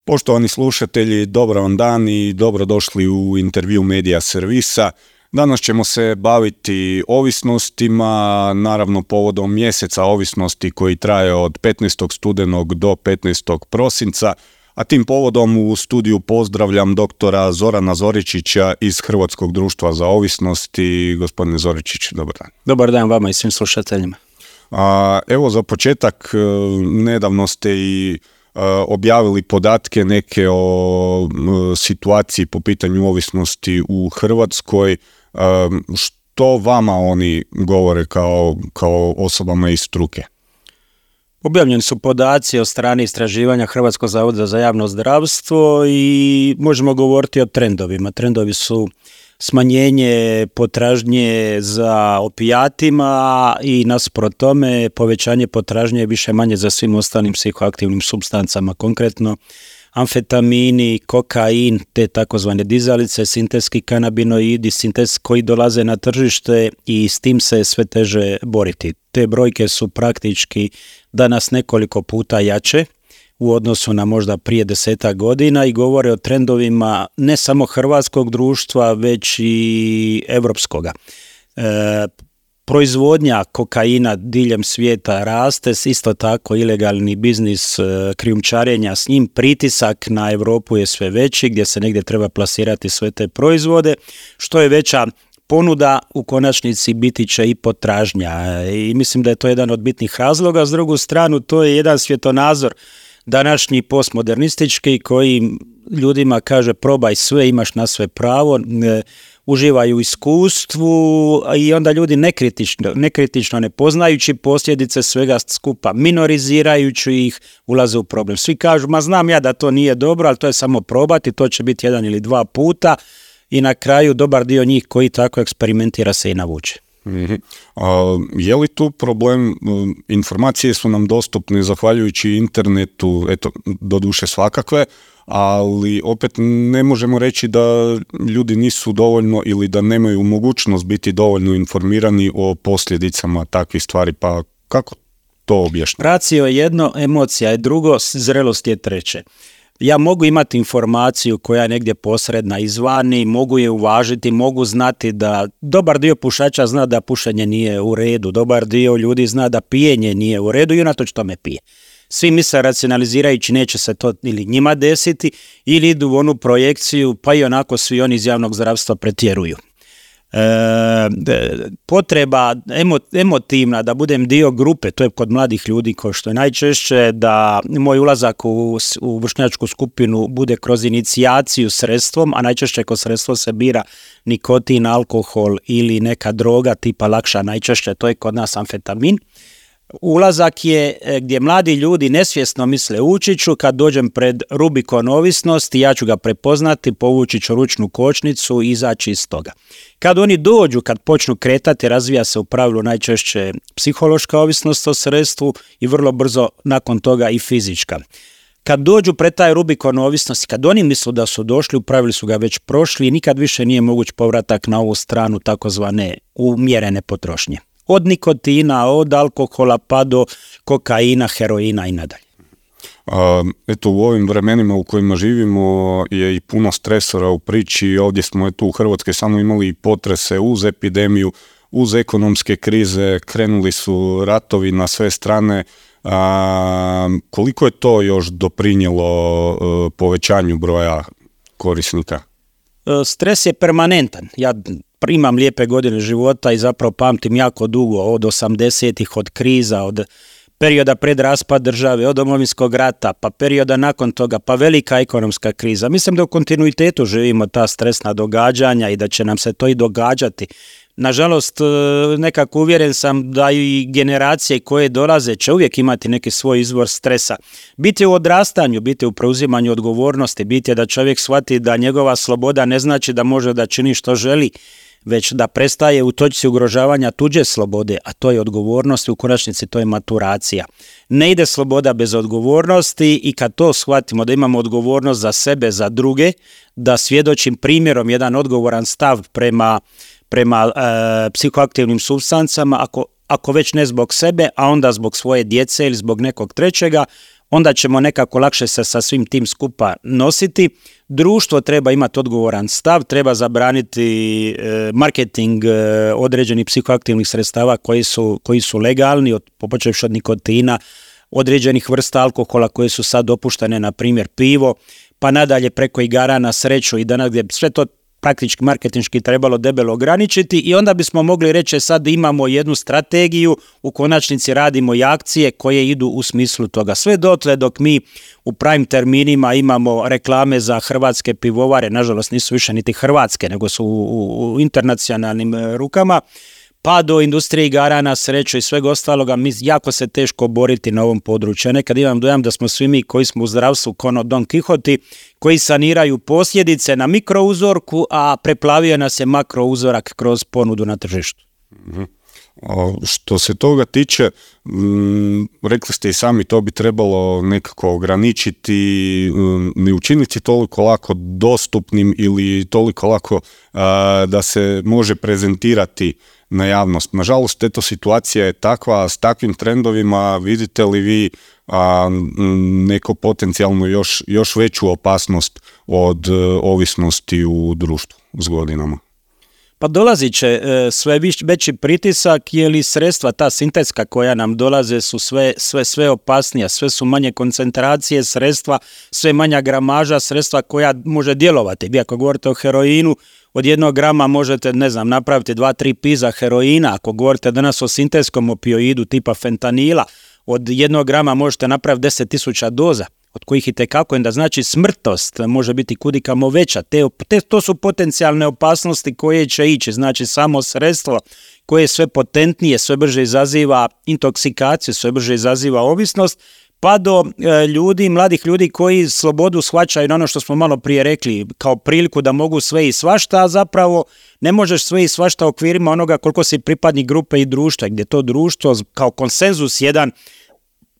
Poštovani slušatelji, dobar vam dan i dobrodošli u intervju Medija servisa. Danas ćemo se baviti ovisnostima, naravno povodom mjeseca ovisnosti koji traje od 15. studenog do 15. prosinca, a tim povodom u studiju pozdravljam doktora Zorana Zoričića iz Hrvatskog društva za ovisnosti. Gospodine Zoričić, dobar dan. Dobar dan vama i svim slušateljima. Evo za početak, nedavno ste i objavili podatke neke o situaciji po pitanju ovisnosti u Hrvatskoj. Što vama oni govore kao osobama iz struke? Objavljeni su podaci od strane istraživanja Hrvatskog zavoda za javno zdravstvo i možemo govoriti o trendovima. Trendovi su smanjenje potražnje za opijatima i nasuprot tome povećanje potražnje više manje za svim ostalim psihoaktivnim supstancama, konkretno amfetamini, kokain, te takozvane dizalice, sintetski kanabinoidi, koji dolaze na tržište i s tim se sve teže boriti. Te brojke su praktički danas nekoliko puta jače u odnosu na možda prije 10 godina i govore o trendovima ne samo hrvatskog društva, već i europskoga. Proizvodnja kokaina diljem svijeta raste, isto tako ilegalni biznis krijumčarenja s njim, pritisak na Europu je sve veći, gdje se negdje treba plasirati sve te proizvode. Što je veća ponuda, u konačnici biti će i potražnja. I mislim da je to jedan od bitnih razloga. S drugu stranu, to je jedan svjetonazor današnji postmodernistički koji ljudima kaže probaj sve, imaš na sve pravo, uživaju u iskustvu i onda ljudi nekritično ne poznajući posljedice svega skupa, minorizirajući ih, ulaze u problem. Svi kažu, ma znam ja da to nije dobro, ali to je samo probati, to će biti 1 ili 2 puta i na kraju dobar dio njih koji tako eksperimentira se i navuče. Je li tu problem, informacije su nam dostupne zahvaljujući internetu, eto, doduše svakakve, ali opet ne možemo reći da ljudi nisu dovoljno ili da nemaju mogućnost biti dovoljno informirani o posljedicama takvih stvari, pa kako to objašnjati? Racio je jedno, emocija je drugo, zrelost je treće. Ja mogu imati informaciju koja je negdje posredna izvani, mogu je uvažiti, mogu znati da dobar dio pušača zna da pušenje nije u redu, dobar dio ljudi zna da pijenje nije u redu i unatoč tome pije. Svi misle racionalizirajući neće se to ili njima desiti ili idu u onu projekciju pa i onako svi oni iz javnog zdravstva pretjeruju. Potreba emotivna da budem dio grupe, to je kod mladih ljudi ko što je najčešće, da moj ulazak u vršnjačku skupinu bude kroz inicijaciju sredstvom, a najčešće kroz sredstvo se bira nikotin, alkohol ili neka droga tipa lakša, najčešće to je kod nas amfetamin. Ulazak je gdje mladi ljudi nesvjesno misle ući ću, kad dođem pred Rubikon ovisnosti, ja ću ga prepoznati, povući ću ručnu kočnicu i izaći iz toga. Kad oni dođu, kad počnu kretati, razvija se u pravilu najčešće psihološka ovisnost o sredstvu i vrlo brzo nakon toga i fizička. Kad dođu pred taj Rubikon ovisnosti, kad oni misle da su došli, u pravilu su ga već prošli i nikad više nije moguć povratak na ovu stranu takozvane umjerene potrošnje. Od nikotina, od alkohola pa do kokaina, heroina i nadalje. Eto, u ovim vremenima u kojima živimo je i puno stresora u priči. Ovdje smo u Hrvatskoj samo imali i potrese uz epidemiju, uz ekonomske krize, krenuli su ratovi na sve strane. Koliko je to još doprinijelo povećanju broja korisnika? Stres je permanentan. Ja imam lijepe godine života i zapravo pamtim jako dugo, od 80-ih, od kriza, od perioda pred raspad države, od Domovinskog rata, pa perioda nakon toga, pa velika ekonomska kriza. Mislim da u kontinuitetu živimo ta stresna događanja i da će nam se to i događati. Nažalost, nekako uvjeren sam da i generacije koje dolaze će uvijek imati neki svoj izvor stresa. Biti u odrastanju, biti u preuzimanju odgovornosti, biti da čovjek shvati da njegova sloboda ne znači da može da čini što želi, već da prestaje u točci ugrožavanja tuđe slobode, a to je odgovornost i u konačnici to je maturacija. Ne ide sloboda bez odgovornosti i kad to shvatimo da imamo odgovornost za sebe, za druge, da svjedočim primjerom jedan odgovoran stav prema psihoaktivnim supstancama, ako već ne zbog sebe, a onda zbog svoje djece ili zbog nekog trećega, onda ćemo nekako lakše se sa svim tim skupa nositi. Društvo treba imati odgovoran stav, treba zabraniti marketing određenih psihoaktivnih sredstava koji su legalni, počevši od nikotina, određenih vrsta alkohola koje su sad dopuštene, na primjer pivo, pa nadalje preko igara na sreću i danas gdje sve to praktički marketinški trebalo debelo ograničiti i onda bismo mogli reći sad imamo jednu strategiju, u konačnici radimo i akcije koje idu u smislu toga. Sve dotle dok mi u prime terminima imamo reklame za hrvatske pivovare, nažalost nisu više niti hrvatske, nego su u internacionalnim rukama, pa do industrije igara na sreću i svega ostaloga, jako se teško boriti na ovom području. Nekad imam dojam da smo svi mi koji smo u zdravstvu kono Don Quixoti, koji saniraju posljedice na mikrouzorku, a preplavio nas je makrouzorak kroz ponudu na tržištu. Što se toga tiče, rekli ste i sami, to bi trebalo nekako ograničiti, ne učiniti toliko lako dostupnim ili toliko lako da se može prezentirati na javnost. Nažalost, eto, situacija je takva, s takvim trendovima vidite li vi neko potencijalno još veću opasnost od ovisnosti u društvu s godinama? Pa dolazit će sve veći pritisak, jer i sredstva, ta sintetska koja nam dolaze su sve opasnija, sve su manje koncentracije sredstva, sve manja gramaža sredstva koja može djelovati. Vi ako govorite o heroinu, od 1 grama možete, napraviti 2-3 piza heroina. Ako govorite danas o sintetskom opioidu tipa fentanila, od 1 grama možete napraviti 10.000 doza, od kojih i tekako, da znači smrtnost može biti kudikamo veća. To su potencijalne opasnosti koje će ići, znači samo sredstvo koje je sve potentnije, sve brže izaziva intoksikaciju, sve brže izaziva ovisnost, pa do mladih ljudi koji slobodu shvaćaju na ono što smo malo prije rekli, kao priliku da mogu sve i svašta, a zapravo ne možeš sve i svašta u okvirima onoga koliko si pripadnik grupe i društva, gdje to društvo kao konsenzus jedan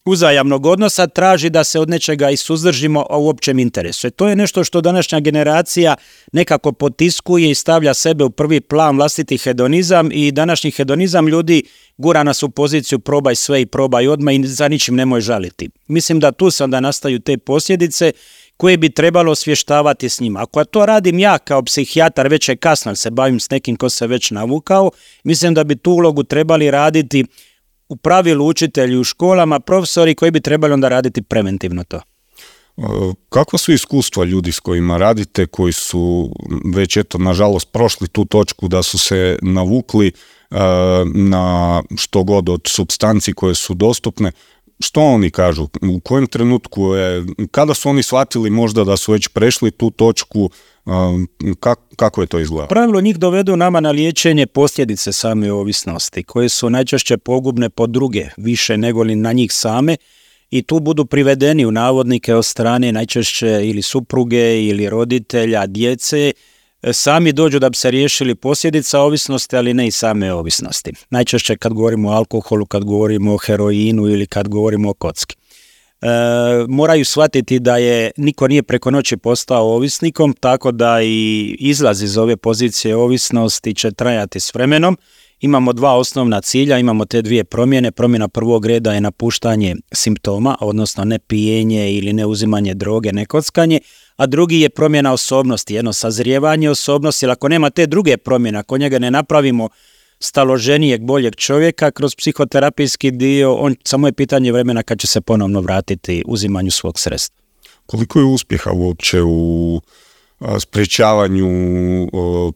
uzajamnog odnosa traži da se od nečega i suzdržimo u općem interesu. To je nešto što današnja generacija nekako potiskuje i stavlja sebe u prvi plan, vlastiti hedonizam, i današnji hedonizam ljudi gura nas u poziciju probaj sve i probaj odmah i za ničim nemoj žaliti. Mislim da tu se onda nastaju te posljedice koje bi trebalo osvještavati s njima. Ako to radim ja kao psihijatar, već je kasno, se bavim s nekim ko se već navukao, mislim da bi tu ulogu trebali raditi u pravilu učitelji u školama, profesori koji bi trebali onda raditi preventivno to. Kakva su iskustva ljudi s kojima radite, koji su već nažalost prošli tu točku da su se navukli na što god od supstanci koje su dostupne? Što oni kažu? U kojem trenutku kada su oni shvatili možda da su već prešli tu točku? Kako je to izgledalo? Pravilno njih dovedu nama na liječenje posljedice same ovisnosti, koje su najčešće pogubne po druge, više nego li na njih same, i tu budu privedeni u navodnike od strane najčešće ili supruge ili roditelja, djece, sami dođu da bi se riješili posljedica ovisnosti, ali ne i same ovisnosti. Najčešće kad govorimo o alkoholu, kad govorimo o heroinu ili kad govorimo o kocki. Moraju shvatiti da niko nije preko noći postao ovisnikom, tako da i izlaz iz ove pozicije ovisnosti će trajati s vremenom. Imamo 2 osnovna cilja, imamo te 2 promjene. Promjena prvog reda je napuštanje simptoma, odnosno ne pijenje ili ne uzimanje droge, ne kockanje, a drugi je promjena osobnosti, jedno sazrijevanje osobnosti, jer ako nema te druge promjene, ako njega ne napravimo staloženijeg, boljeg čovjeka kroz psihoterapijski dio, samo je pitanje vremena kad će se ponovno vratiti uzimanju svog sredstva. Koliko je uspjeha uopće u sprječavanju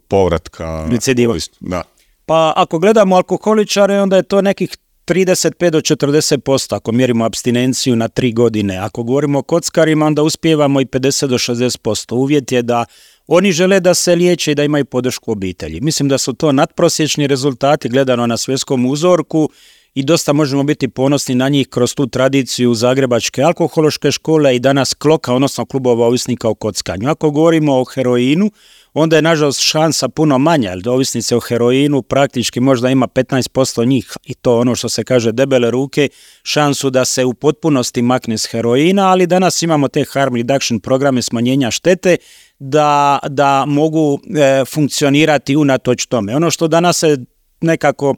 povratka? Recidiva. Da. Pa ako gledamo alkoholičare, onda je to nekih 35 do 40%, ako mjerimo apstinenciju na 3 godine. Ako govorimo o kockarima, onda uspijevamo i 50 do 60%. Uvjet je da oni žele da se liječe i da imaju podršku obitelji. Mislim da su to nadprosječni rezultati gledano na svjetskom uzorku i dosta možemo biti ponosni na njih kroz tu tradiciju Zagrebačke alkohološke škole i danas Kloka, odnosno klubova ovisnika o kockanju. Ako govorimo o heroinu, onda je nažalost šansa puno manja, jer ovisnice o heroinu praktički možda ima 15% njih, i to ono što se kaže debele ruke, šansu da se u potpunosti makne s heroina, ali danas imamo te harm reduction programe smanjenja štete da mogu funkcionirati unatoč tome. Ono što danas se nekako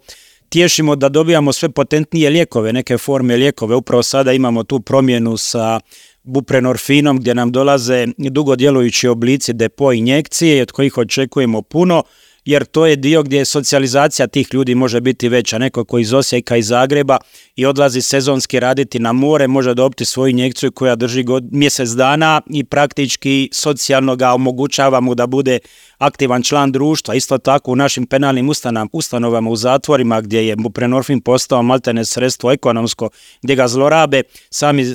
tješimo da dobijamo sve potentnije lijekove, neke forme lijekove. Upravo sada imamo tu promjenu sa buprenorfinom gdje nam dolaze dugo djelujući oblici depo injekcije od kojih očekujemo puno, jer to je dio gdje socijalizacija tih ljudi može biti veća. Neko koji iz Osijeka, iz Zagreba i odlazi sezonski raditi na more može dobiti svoju injekciju koja drži mjesec dana i praktički socijalno ga omogućava mu da bude aktivan član društva. Isto tako u našim penalnim ustanovama u zatvorima gdje je buprenorfin postao maltene sredstvo ekonomsko, gdje ga zlorabe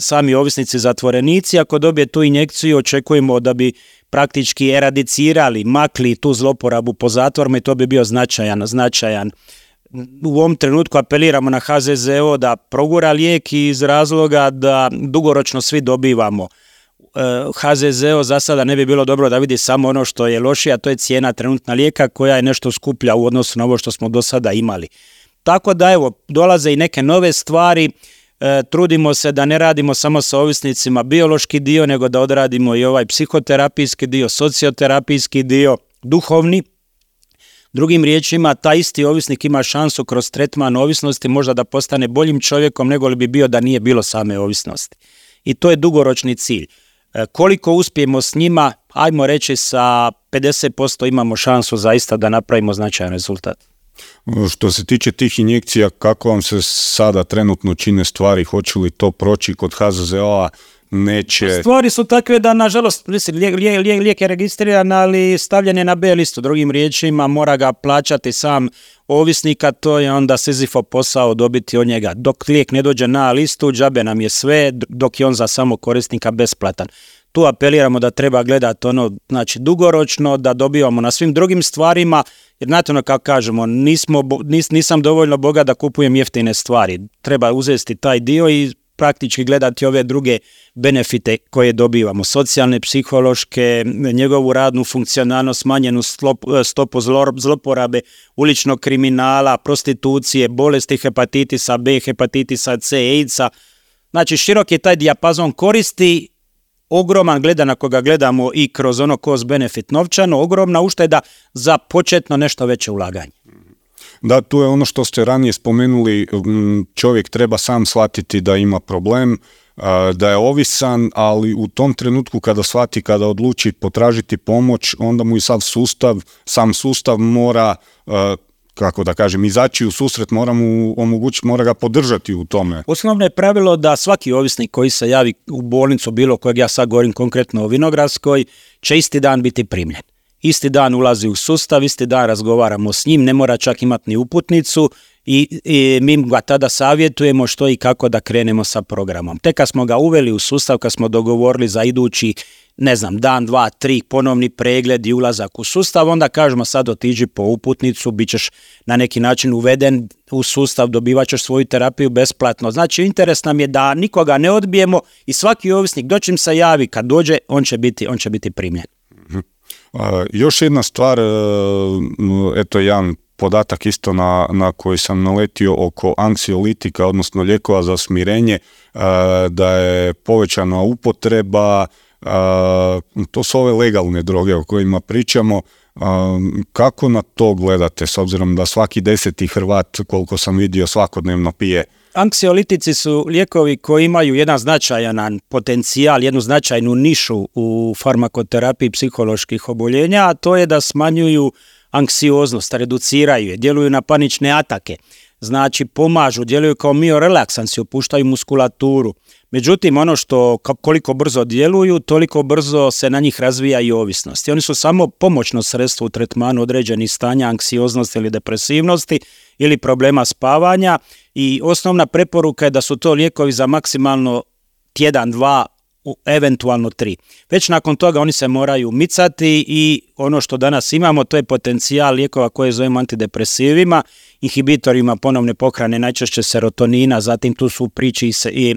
sami ovisnici zatvorenici. Ako dobije tu injekciju očekujemo da bi praktički eradicirali, makli tu zloporabu po zatvorima i to bi bio značajan. U ovom trenutku apeliramo na HZZO da progura lijek iz razloga da dugoročno svi dobivamo. HZZO za sada ne bi bilo dobro da vidi samo ono što je lošije, a to je cijena trenutna lijeka koja je nešto skuplja u odnosu na ovo što smo do sada imali. Tako da evo, dolaze i neke nove stvari. Trudimo se da ne radimo samo sa ovisnicima biološki dio, nego da odradimo i ovaj psihoterapijski dio, socioterapijski dio, duhovni. Drugim riječima, taj isti ovisnik ima šansu kroz tretman ovisnosti možda da postane boljim čovjekom nego li bi bio da nije bilo same ovisnosti. I to je dugoročni cilj. Koliko uspijemo s njima, ajmo reći sa 50% imamo šansu zaista da napravimo značajan rezultat. Što se tiče tih injekcija, kako vam se sada trenutno čine stvari, hoće li to proći kod HZZO-a, neće? Stvari su takve da, nažalost, lijek je registriran, ali stavljen je na B listu. Drugim riječima, mora ga plaćati sam ovisnika, to je onda Sizifov posao dobiti od njega. Dok lijek ne dođe na listu, džabe nam je sve, dok je on za samog korisnika besplatan. Tu apeliramo da treba gledati dugoročno, da dobivamo na svim drugim stvarima, jer znate ono kako kažemo, nisam dovoljno bogat da kupujem jeftine stvari. Treba uzeti taj dio i praktički gledati ove druge benefite koje dobivamo. Socijalne, psihološke, njegovu radnu funkcionalnost, smanjenu stopu zloporabe, uličnog kriminala, prostitucije, bolesti hepatitisa B, hepatitisa C, AIDS-a. Znači širok je taj dijapazon koristi, ogroman, gledan ako ga gledamo i kroz ono cost benefit novčano, ogromna ušteda za početno nešto veće ulaganje. Da, tu je ono što ste ranije spomenuli, čovjek treba sam shvatiti da ima problem, da je ovisan, ali u tom trenutku kada shvati, kada odluči potražiti pomoć, onda mu i sam sustav mora, kako da kažem, izaći u susret, mora mu omogućiti, mora ga podržati u tome. Osnovno je pravilo da svaki ovisnik koji se javi u bolnicu, bilo kojeg ja sad govorim konkretno o Vinogradskoj, će isti dan biti primljen. Isti dan ulazi u sustav, isti dan razgovaramo s njim, ne mora čak imati ni uputnicu i mi ga tada savjetujemo što i kako da krenemo sa programom. Tek kad smo ga uveli u sustav, kad smo dogovorili za idući, dan, 2, 3, ponovni pregled i ulazak u sustav, onda kažemo sad otiđi po uputnicu, bit ćeš na neki način uveden u sustav, dobivat ćeš svoju terapiju besplatno. Znači, interes nam je da nikoga ne odbijemo i svaki ovisnik dočim se javi, kad dođe, on će biti primljen. Još jedna stvar, eto jedan podatak isto na koji sam naletio oko anksiolitika, odnosno lijekova za smirenje, da je povećana upotreba, to su ove legalne droge o kojima pričamo. Kako na to gledate, s obzirom da svaki 10. Hrvat, koliko sam vidio, svakodnevno pije? Anksiolitici su lijekovi koji imaju jedan značajan potencijal, jednu značajnu nišu u farmakoterapiji psiholoških oboljenja, a to je da smanjuju anksioznost, reduciraju je, djeluju na panične atake, znači pomažu, djeluju kao miorelaksansi, opuštaju muskulaturu. Međutim, ono što koliko brzo djeluju, toliko brzo se na njih razvija i ovisnost. I oni su samo pomoćno sredstvo u tretmanu određenih stanja anksioznosti ili depresivnosti ili problema spavanja i osnovna preporuka je da su to lijekovi za maksimalno tjedan, 2, eventualno 3. Već nakon toga oni se moraju micati i ono što danas imamo to je potencijal lijekova koje zovemo antidepresivima, inhibitorima ponovne pohrane, najčešće serotonina, zatim tu su u priči i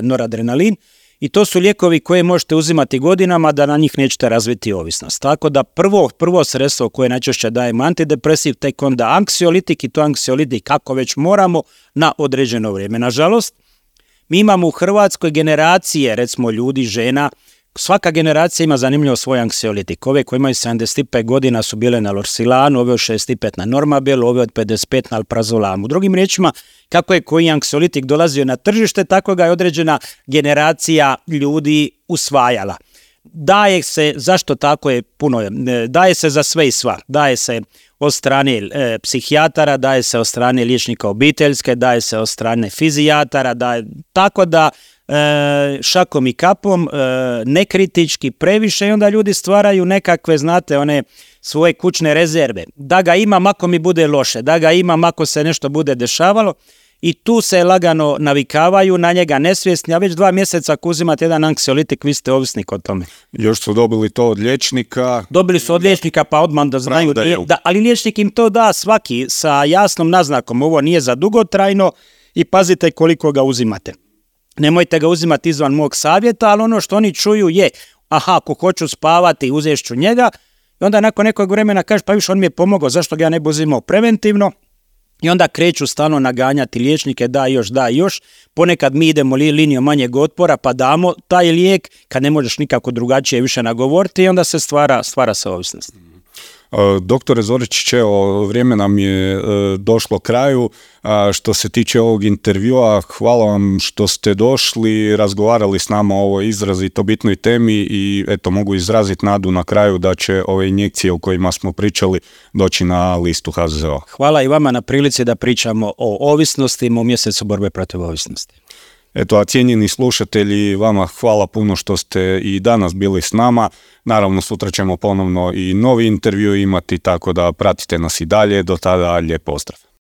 noradrenalin i to su lijekovi koje možete uzimati godinama da na njih nećete razviti ovisnost. Tako da prvo sredstvo koje najčešće dajemo antidepresiv, tek onda anksiolitik i to anksiolitik kako već moramo na određeno vrijeme. Nažalost, mi imamo u Hrvatskoj generacije, recimo ljudi, žena, svaka generacija ima zanimljivo svoj anksiolitik. Ove koji imaju 75 godina su bile na Lorsilanu, ove od 65 na Normabelu, ove od 55 na Alprazolamu. Drugim riječima, kako je koji anksiolitik dolazio na tržište, tako ga je određena generacija ljudi usvajala. Daje se, zašto tako je puno, daje se za sve i sva. Daje se od strane psihijatara, daje se od strane liječnika obiteljske, daje se od strane fizijatara, tako da šakom i kapom, nekritički previše i onda ljudi stvaraju nekakve, znate, one svoje kućne rezerve. Da ga imam ako mi bude loše, da ga imam ako se nešto bude dešavalo i tu se lagano navikavaju na njega nesvjesni, a već 2 mjeseca ako uzimate jedan anksiolitik, vi ste ovisnik o tome. Još su dobili to od liječnika. Dobili su od liječnika pa odmah da znaju, ali liječnik im to da svaki sa jasnom naznakom, ovo nije za dugotrajno i pazite koliko ga uzimate. Nemojte ga uzimati izvan mog savjeta, ali ono što oni čuju je, ako hoću spavati, uzet ću njega, i onda nakon nekog vremena kaže, pa više on mi je pomogao, zašto ga ja ne bi uzimao preventivno, i onda kreću stalno naganjati liječnike, da još, ponekad mi idemo linijom manjeg otpora, pa damo taj lijek, kad ne možeš nikako drugačije više nagovoriti, i onda se stvara se ovisnost. Doktore Zoričić, vrijeme nam je došlo kraju. Što se tiče ovog intervjua, hvala vam što ste došli, razgovarali s nama o ovoj izrazito bitnoj temi i mogu izraziti nadu na kraju da će ove injekcije o kojima smo pričali doći na listu HZZO. Hvala i vama na prilici da pričamo o ovisnostima u mjesecu borbe protiv ovisnosti. A cijenjeni slušatelji, vama hvala puno što ste i danas bili s nama. Naravno, sutra ćemo ponovno i novi intervju imati, tako da pratite nas i dalje. Do tada, lijep pozdrav.